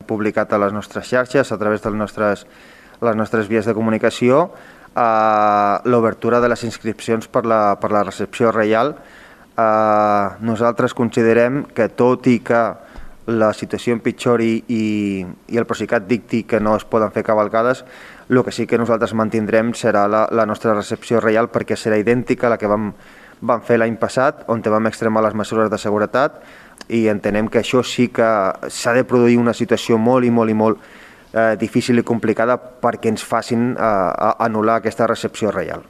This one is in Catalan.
publicat a les nostres xarxes, a través de les nostres vies de comunicació, l'obertura de les inscripcions per la recepció reial. Nosaltres considerem que, tot i que la situació empitjori i el Procicat dicti que no es poden fer cavalcades, el que sí que nosaltres mantindrem serà la nostra recepció reial, perquè serà idèntica a la que vam fer l'any passat, on vam extremar les mesures de seguretat, i entenem que això sí que s'ha de produir una situació molt difícil i complicada perquè ens facin anul·lar aquesta recepció reial.